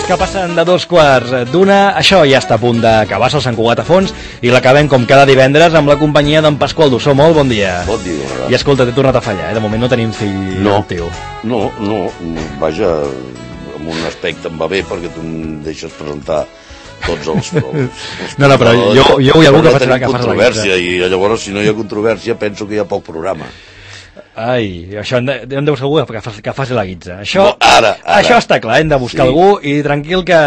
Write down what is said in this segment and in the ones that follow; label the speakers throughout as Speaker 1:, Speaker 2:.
Speaker 1: que passen de 2:15. Això ja està a punt d'acabar, el Sant Cugat a fons, i l'acabem com cada divendres amb la companyia d'en Pasqual Dussó. Molt bon dia.
Speaker 2: Bon dia.
Speaker 1: I escolta, t'he tornat a fallar, de moment no tenim fill teu.
Speaker 2: No, vaja, en un aspecte em va bé perquè tu em deixes presentar tots els
Speaker 1: no, però jo hi ha algú que farà
Speaker 2: controvèrsia, i llavors si no hi ha controvèrsia penso que hi ha poc programa.
Speaker 1: Ai, això hem de buscar algú que faci la guitza. Això,
Speaker 2: no, ara.
Speaker 1: Això està clar, hem de buscar algú i tranquil que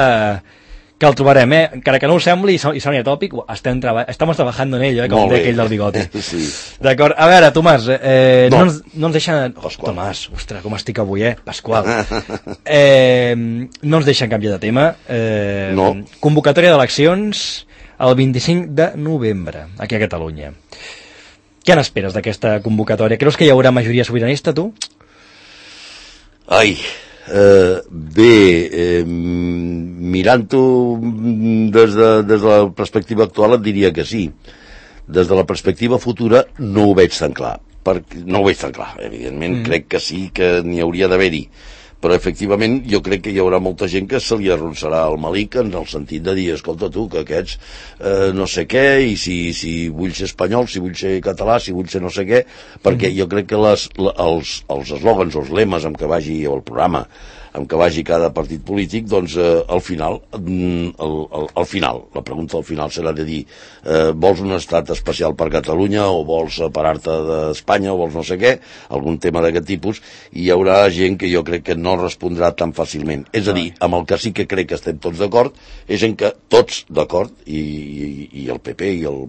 Speaker 1: el trobarem, encara que no ho sembli i soni atòpic, estamos trabajando en ello, com deia aquell del bigoti.
Speaker 2: Sí.
Speaker 1: D'acord, a veure, Tomàs, no ens deixen... Tomàs, ostres, com estic avui, Pasqual. No ens deixen canviar de tema.
Speaker 2: No.
Speaker 1: Convocatòria d'eleccions el 25 de novembre, aquí a Catalunya. Què n'esperes d'aquesta convocatòria? Creus que hi haurà majoria sobiranista, tu?
Speaker 2: Ai, mirant-ho des de la perspectiva actual et diria que sí. Des de la perspectiva futura no ho veig tan clar. Evidentment crec que sí que n'hi hauria d'haver-hi, però efectivament jo crec que hi haurà molta gent que se li arronsarà el malic en el sentit de dir, escolta tu, que aquests no sé què, i si vull ser espanyol, si vull ser català, si vull ser no sé què, perquè jo crec que els eslògans o els lemes amb què vagi el programa, amb què vagi cada partit polític, doncs al final la pregunta al final serà de dir vols un estat especial per Catalunya o vols separar-te d'Espanya o vols no sé què, algun tema d'aquest tipus, i hi haurà gent que jo crec que no respondrà tan fàcilment. És a dir, amb el que sí que crec que estem tots d'acord és en que tots d'acord, i el PP i el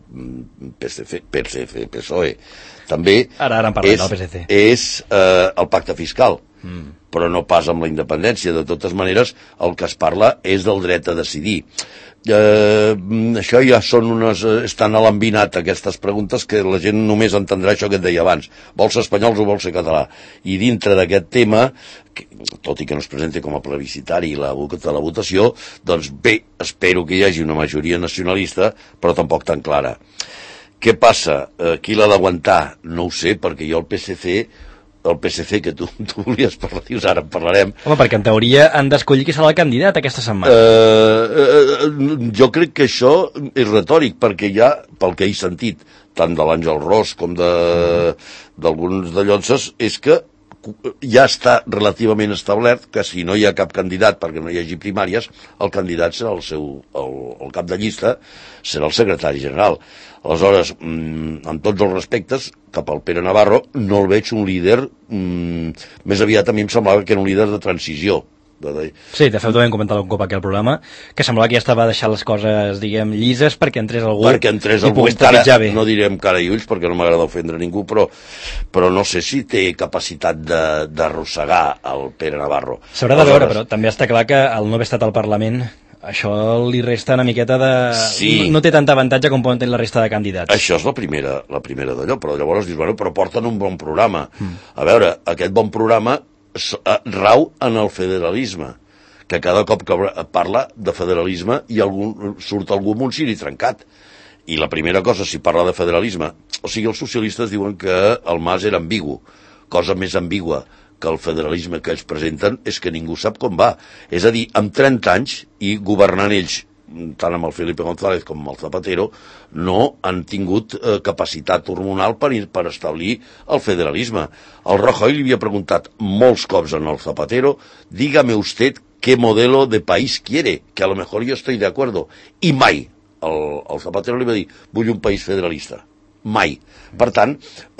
Speaker 2: PSOE també
Speaker 1: ara en parlem del PSC,
Speaker 2: és el pacte fiscal, però no pas amb la independència. De totes maneres, el que es parla és del dret a decidir. Això ja estan a l'embinat, aquestes preguntes, que la gent només entendrà això que et deia abans, vols ser espanyols o vols ser català, i dintre d'aquest tema, tot i que no es presenti com a plebiscitari la votació, doncs bé, espero que hi hagi una majoria nacionalista, però tampoc tan clara. Què passa? Qui l'ha d'aguantar? No ho sé, perquè jo el PSC que tu volies parlar, dius, ara en parlarem.
Speaker 1: Home, perquè en teoria han d'escollir qui serà el candidat aquesta setmana.
Speaker 2: Jo crec que això és retòric, perquè ja, pel que he sentit, tant de l'Àngel Ros com d'alguns de Llonses, és que ja està relativament establert que si no hi ha cap candidat perquè no hi hagi primàries, el candidat serà el cap de llista, serà el secretari general. Aleshores, amb tots els respectes, cap al Pere Navarro, no el veig un líder, més aviat a mi em semblava que era un líder de transició.
Speaker 1: Sí, de fet ho vam comentar un cop aquí al programa, que semblava que ja estava deixant les coses, diguem, llises perquè entrés algú
Speaker 2: i
Speaker 1: pogués trepitjar bé.
Speaker 2: No direm cara i ulls perquè no m'agrada ofendre ningú, però no sé si té capacitat d'arrossegar el Pere Navarro.
Speaker 1: S'haurà de veure, però també està clar que al no haver estat al Parlament això li resta una miqueta de...
Speaker 2: Sí.
Speaker 1: No té tanta avantatge com poden tenir la resta de candidats.
Speaker 2: Això és la primera d'allò, però llavors dius, bueno, però porten un bon programa. A veure, aquest bon programa rau en el federalisme, que cada cop que parla de federalisme surt algú amb un ciri trencat. I la primera cosa, si parla de federalisme, o sigui, els socialistes diuen que el Mas era ambigu, cosa més ambigua que el federalisme que ells presenten és que ningú sap com va. És a dir, amb 30 anys i governant ells, tant amb el Felipe González com amb el Zapatero, no han tingut capacitat hormonal per establir el federalisme. El Rajoy li havia preguntat molts cops al Zapatero, dígame usted qué modelo de país quiere, que a lo mejor yo estoy de acuerdo. I mai el Zapatero li va dir, vull un país federalista. Mai. Per tant,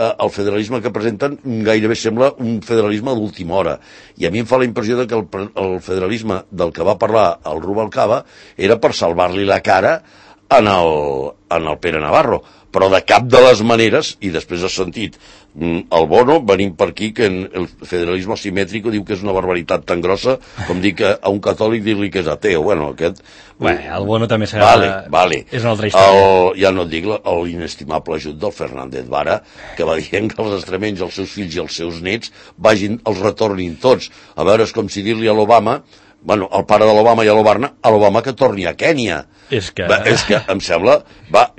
Speaker 2: el federalisme que presenten gairebé sembla un federalisme d'última hora. I a mi em fa la impressió que el federalisme del que va parlar el Rubalcaba era per salvar-li la cara en el Pere Navarro. Però de cap de les maneres, i després has sentit el Bono venint per aquí, que el federalisme asimètric diu que és una barbaritat tan grossa com dir que a un catòlic dir-li que és ateu. Bueno,
Speaker 1: el Bono també serà...
Speaker 2: Vale.
Speaker 1: És una altra història.
Speaker 2: Ja no et dic l'inestimable ajut del Fernández Vara, que va dient que els extremenys, els seus fills i els seus nets els retornin tots. A veure, és com si dir-li a l'Obama, bueno, el pare de l'Obama i a l'Obama que torni a Kènia.
Speaker 1: És que
Speaker 2: em sembla,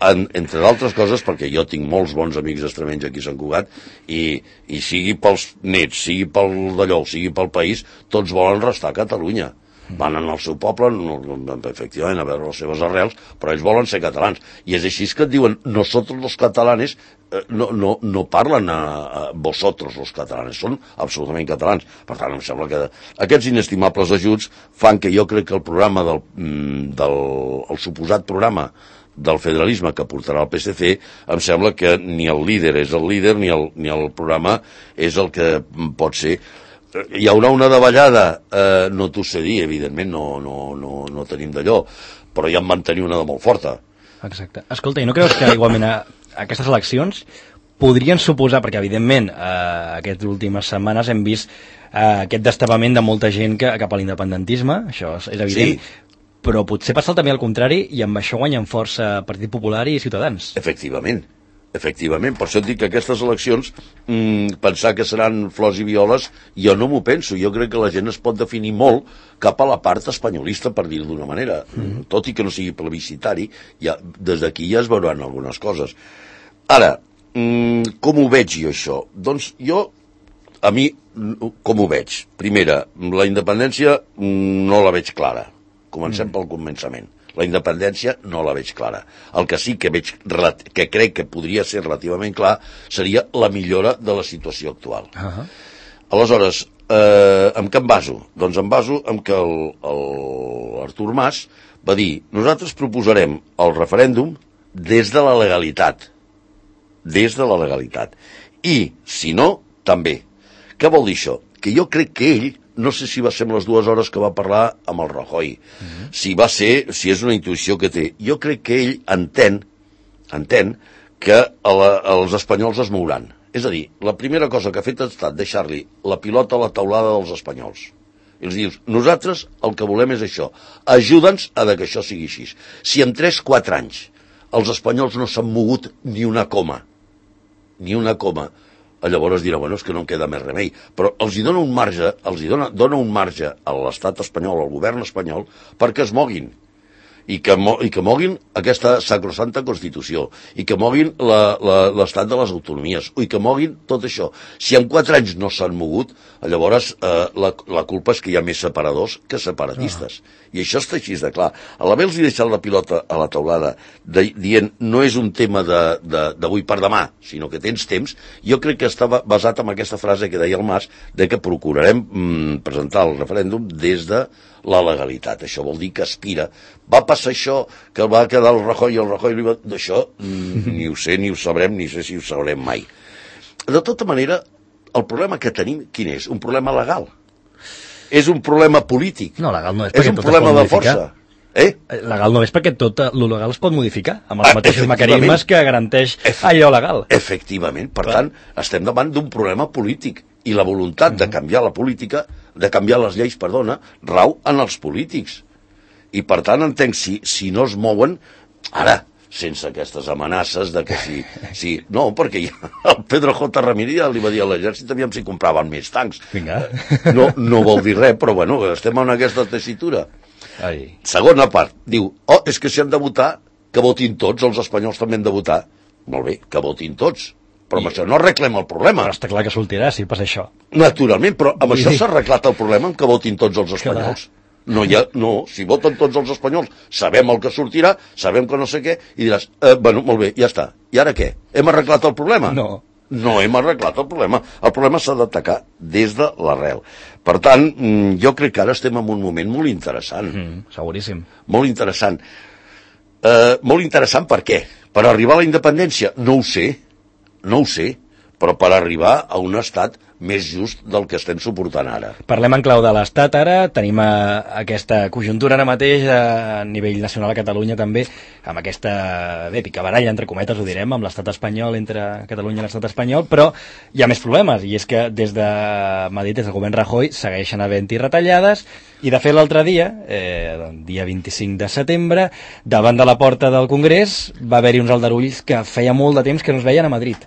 Speaker 2: entre d'altres coses, perquè jo tinc molts bons amics extremenys aquí a Sant Cugat, i sigui pels nets, sigui pel d'allò, sigui pel país, tots volen restar a Catalunya. Van al seu poble, efectivament, a veure les seves arrels, però ells volen ser catalans. I és així que et diuen, nosotros los catalanes, no parlen a vosotros los catalanes, són absolutament catalans. Per tant, em sembla que aquests inestimables ajuts fan que jo crec que el programa el suposat programa del federalisme que portarà el PSC, em sembla que ni el líder és el líder ni el programa és el que pot ser. Hi haurà una davallada, no t'ho sé dir, evidentment no tenim d'allò, però ja en van tenir una de molt forta.
Speaker 1: Exacte. Escolta, i no creus que igualment aquestes eleccions podrien suposar, perquè evidentment aquestes últimes setmanes hem vist aquest destapament de molta gent cap a l'independentisme, això és evident, sí. Però potser passa també al contrari i amb això guanyen força Partit Popular i Ciutadans.
Speaker 2: Efectivament, per això et dic que aquestes eleccions, pensar que seran flors i violes, jo no m'ho penso, jo crec que la gent es pot definir molt cap a la part espanyolista, per dir-ho d'una manera, tot i que no sigui plebiscitari, des d'aquí ja es veuran algunes coses. Ara, com ho veig jo això? Doncs jo, a mi, com ho veig? Primera, la independència no la veig clara, comencem pel començament. La independència no la veig clara. El que sí que veig, que crec que podria ser relativament clar, seria la millora de la situació actual. Aleshores, amb què em baso? Doncs em baso en que l'Artur Mas va dir, nosaltres proposarem el referèndum des de la legalitat. Des de la legalitat. I, si no, també. Què vol dir això? Que jo crec que ell, no sé si va ser amb les 2 hores que va parlar amb el Rajoy, si és una intuïció que té, jo crec que ell entén que els espanyols es mouran. És a dir, la primera cosa que ha fet ha estat deixar-li la pilota a la taulada dels espanyols. I els dius, nosaltres el que volem és això, ajuda'ns a que això sigui així. Si en 3-4 anys els espanyols no s'han mogut ni una coma, llavors dirà, bueno, és que no em queda més remei, però els hi dona un marge, dona un marge a l'estat espanyol, al govern espanyol, perquè es moguin, i que moguin aquesta sacrosanta Constitució, i que moguin l'estat de les autonomies, i que moguin tot això. Si en 4 anys no s'han mogut, llavors la culpa és que hi ha més separadors que separatistes. I això està així de clar. A l'haver-los deixat la pilota a la taulada, dient no és un tema d'avui per demà, sinó que tens temps, jo crec que estava basat en aquesta frase que deia el Mas, de que procurarem presentar el referèndum des de la legalitat. Això vol dir que aspira. Va passar això, que va quedar el Rajoy i el Rajoy li va... D'això ni ho sé, ni ho sabrem, ni sé si ho sabrem mai. De tota manera, el problema que tenim, quin és? Un problema legal. És un problema polític.
Speaker 1: No, legal no és, perquè
Speaker 2: és un problema de força.
Speaker 1: Legal no és perquè tot lo legal es pot modificar, amb els mateixos mecanismes que garanteix allò legal.
Speaker 2: Efectivament. Per tant, estem davant d'un problema polític. I la voluntat de canviar la política, de canviar les lleis, rau en els polítics. I per tant entenc, si no es mouen, ara, sense aquestes amenaces de que si no, perquè el Pedro J. Ramírez li va dir a l'exèrcit aviam si compraven més tancs. No vol dir res, però bueno, estem en aquesta tessitura. Segona part, diu, és que si han de votar, que votin tots, els espanyols també han de votar. Molt bé, que votin tots. Però amb això no arreglem el problema.
Speaker 1: Però està clar que sortirà si passa això.
Speaker 2: Naturalment, però amb això s'ha arreglat el problema amb que votin tots els espanyols. No, si voten tots els espanyols, sabem el que sortirà, sabem que no sé què, i diràs, bueno, molt bé, ja està. I ara què? Hem arreglat el problema? No hem arreglat el problema. El problema s'ha d'atacar des de l'arrel. Per tant, jo crec que ara estem en un moment molt interessant.
Speaker 1: Seguríssim.
Speaker 2: Molt interessant. Molt interessant per què? Per arribar a la independència? No ho sé, però per arribar a un estat més just del que estem suportant ara.
Speaker 1: Parlem en clau de l'estat ara, tenim aquesta conjuntura ara mateix a nivell nacional a Catalunya també, amb aquesta picabaralla, entre cometes ho direm, amb l'estat espanyol, entre Catalunya i l'estat espanyol, però hi ha més problemes, i és que des de Madrid, des del govern Rajoy, segueixen havent-hi retallades, i de fet l'altre dia, dia 25 de setembre, davant de la porta del Congrés, va haver-hi uns aldarulls que feia molt de temps que no es veien a Madrid.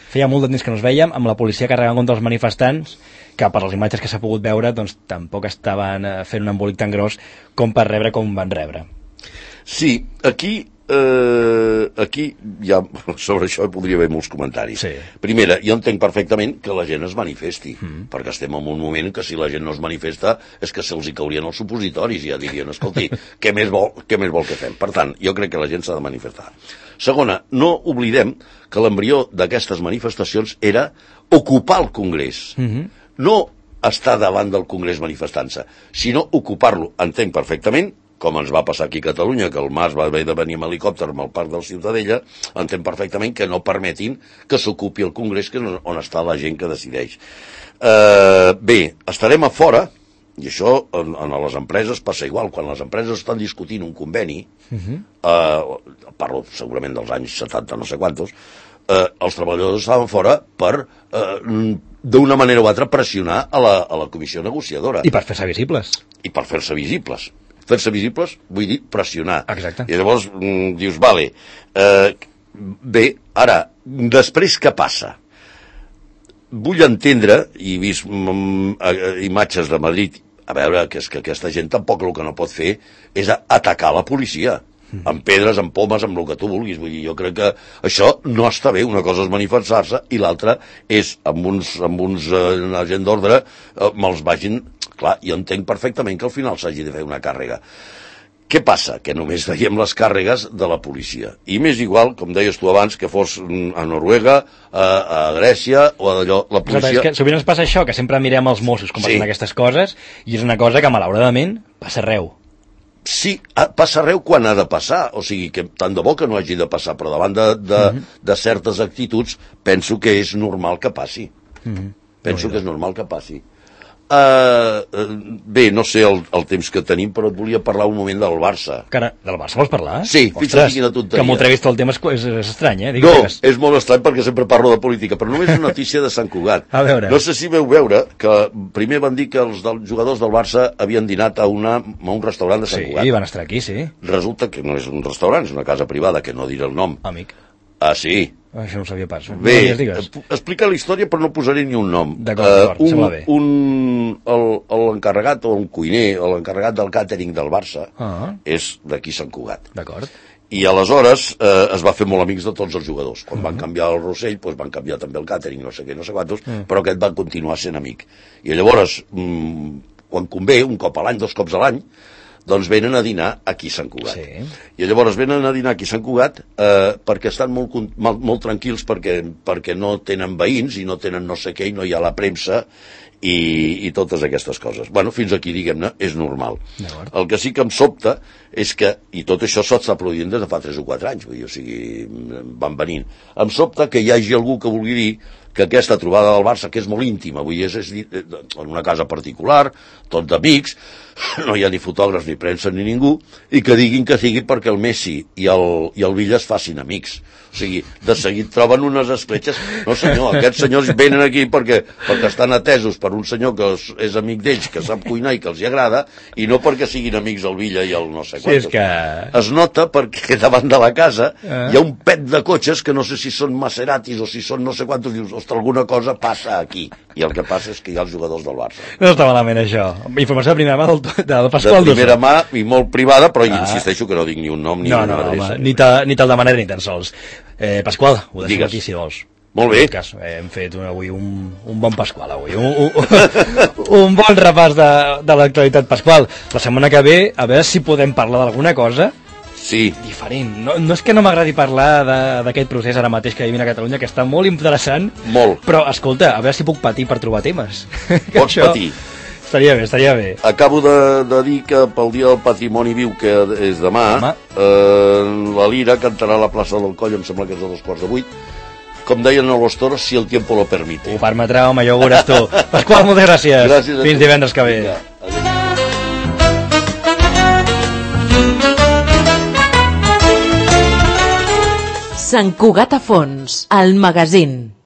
Speaker 1: Feia molt de temps que no es veiem, amb la policia carregant contra els manifestants, que per les imatges que s'ha pogut veure doncs tampoc estaven fent un embolic tan gros com per rebre com van rebre.
Speaker 2: Sí, aquí aquí ja sobre això podria haver molts comentaris.
Speaker 1: Sí.
Speaker 2: Primera, jo entenc perfectament que la gent es manifesti, perquè estem en un moment que si la gent no es manifesta és que se'ls hi caurien els supositoris i ja dirien, escolti, què més vol que fem? Per tant, jo crec que la gent s'ha de manifestar. Segona, no oblidem que l'embrió d'aquestes manifestacions era ocupar el Congrés. No estar davant del Congrés manifestant-se, sinó ocupar-lo. Entenc perfectament, com ens va passar aquí a Catalunya, que el Mas va haver de venir amb helicòpter al Parc del Ciutadella, entenc perfectament que no permetin que s'ocupi el Congrés, que és on està la gent que decideix. Bé, estarem a fora, i això en les empreses passa igual. Quan les empreses estan discutint un conveni, parlo segurament dels anys 70, no sé quantos, els treballadors estaven fora per, d'una manera o altra, pressionar a la comissió negociadora.
Speaker 1: I per fer-se visibles.
Speaker 2: I per fer-se visibles. Fer-se visibles, vull dir, pressionar.
Speaker 1: Exacte.
Speaker 2: I llavors dius, vale, bé, ara, després què passa? Vull entendre, i he vist imatges de Madrid, a veure, que és que aquesta gent tampoc el que no pot fer és atacar la policia, amb pedres, amb pomes, amb el que tu vulguis. Vull dir, jo crec que això no està bé. Una cosa és manifestar-se i l'altra és, amb uns agent d'ordre, me'ls vagin... Clar, jo entenc perfectament que al final s'hagi de fer una càrrega. Què passa? Que només veiem les càrregues de la policia. I m'és igual, com deies tu abans, que fos a Noruega, a Grècia, o d'allò, la policia...
Speaker 1: És que sovint ens passa això, que sempre mirem els Mossos com passen aquestes coses, i és una cosa que, malauradament, passa arreu.
Speaker 2: Sí, passa arreu quan ha de passar, o sigui, que tant de bo que no hagi de passar, però davant de certes actituds penso que és normal que passi. Penso que és normal que passi. Bé, no sé el temps que tenim, però et volia parlar un moment del Barça.
Speaker 1: Cara, del Barça vols parlar?
Speaker 2: Sí, fixa't quina tonteria.
Speaker 1: Que m'ho treguis tot el tema és estrany, eh?
Speaker 2: No, és molt estrany perquè sempre parlo de política, però només una notícia de Sant Cugat.
Speaker 1: A veure.
Speaker 2: No sé si veu veure que primer van dir que els jugadors del Barça havien dinat a un restaurant de Sant Cugat.
Speaker 1: Sí, van estar aquí, sí.
Speaker 2: Resulta que no és un restaurant, és una casa privada, que no diré el nom.
Speaker 1: Amic.
Speaker 2: Ah, sí?
Speaker 1: Això no ho sabia pas.
Speaker 2: Bé, explica la història però no posaré ni un nom.
Speaker 1: D'acord, sembla bé.
Speaker 2: L'encarregat o un cuiner, l'encarregat del càtering del Barça, és d'aquí Sant Cugat.
Speaker 1: D'acord.
Speaker 2: I aleshores es va fer molt amics de tots els jugadors. Quan van canviar el Rossell, doncs van canviar també el càtering, no sé què, no sé quantos, però aquest va continuar sent amic. I llavors, quan convé, un cop a l'any, 2 cops a l'any, doncs venen a dinar aquí a Sant Cugat.
Speaker 1: Sí.
Speaker 2: I llavors venen a dinar aquí a Sant Cugat perquè estan molt tranquils perquè no tenen veïns i no tenen no sé què i no hi ha la premsa i totes aquestes coses. Bueno, fins aquí, diguem-ne, és normal. El que sí que em sobta és que, i tot això s'està produint des de fa 3 o 4 anys, vull dir, o sigui, van venint. Em sobta que hi hagi algú que vulgui dir que aquesta trobada del Barça, que és molt íntima, vull dir, és en una casa particular, tots d'amics, no hi ha ni fotògrafs, ni premsa, ni ningú, i que diguin que sigui perquè el Messi i el Villa es facin amics. O sigui, de seguit troben unes escletxes. No, senyor, aquests senyors venen aquí perquè estan atesos per un senyor que és amic d'ells, que sap cuinar i que els hi agrada, i no perquè siguin amics el Villa i el no sé quantos.
Speaker 1: Sí, és que...
Speaker 2: Es nota perquè davant de la casa hi ha un pet de cotxes que no sé si són Maseratis o si són no sé quantos, dius, ostres, alguna cosa passa aquí. I el que passa és que hi ha els jugadors del Barça.
Speaker 1: No està malament, això. Informació de primera mà del Pasqual Dossó.
Speaker 2: De primera mà i molt privada, però insisteixo que no dic ni un nom ni una adreça.
Speaker 1: Ni te'l demanaré ni tan sols. Pasqual, ho deixo aquí si vols.
Speaker 2: Molt bé.
Speaker 1: Hem fet avui un bon Pasqual, avui. Un bon repàs de l'actualitat Pasqual. La setmana que ve, a veure si podem parlar d'alguna cosa diferent. No és que no m'agradi parlar d'aquest procés ara mateix que vivim a Catalunya, que està molt interessant.
Speaker 2: Molt.
Speaker 1: Però, escolta, a veure si puc patir per trobar temes.
Speaker 2: Pots patir.
Speaker 1: Estaria bé.
Speaker 2: Acabo de dir que pel Dia del Patrimoni Viu, que és demà, la Lira cantarà a la plaça del Coll, em sembla que és a 7:45. Com deien a los toros, si el tiempo lo permite.
Speaker 1: Ho permetrà, home, ja ho veuràs tu. Pasqual, moltes gràcies.
Speaker 2: Gràcies a tu.
Speaker 1: Fins divendres que ve.
Speaker 3: Sant Cugat a Fons, el magazín.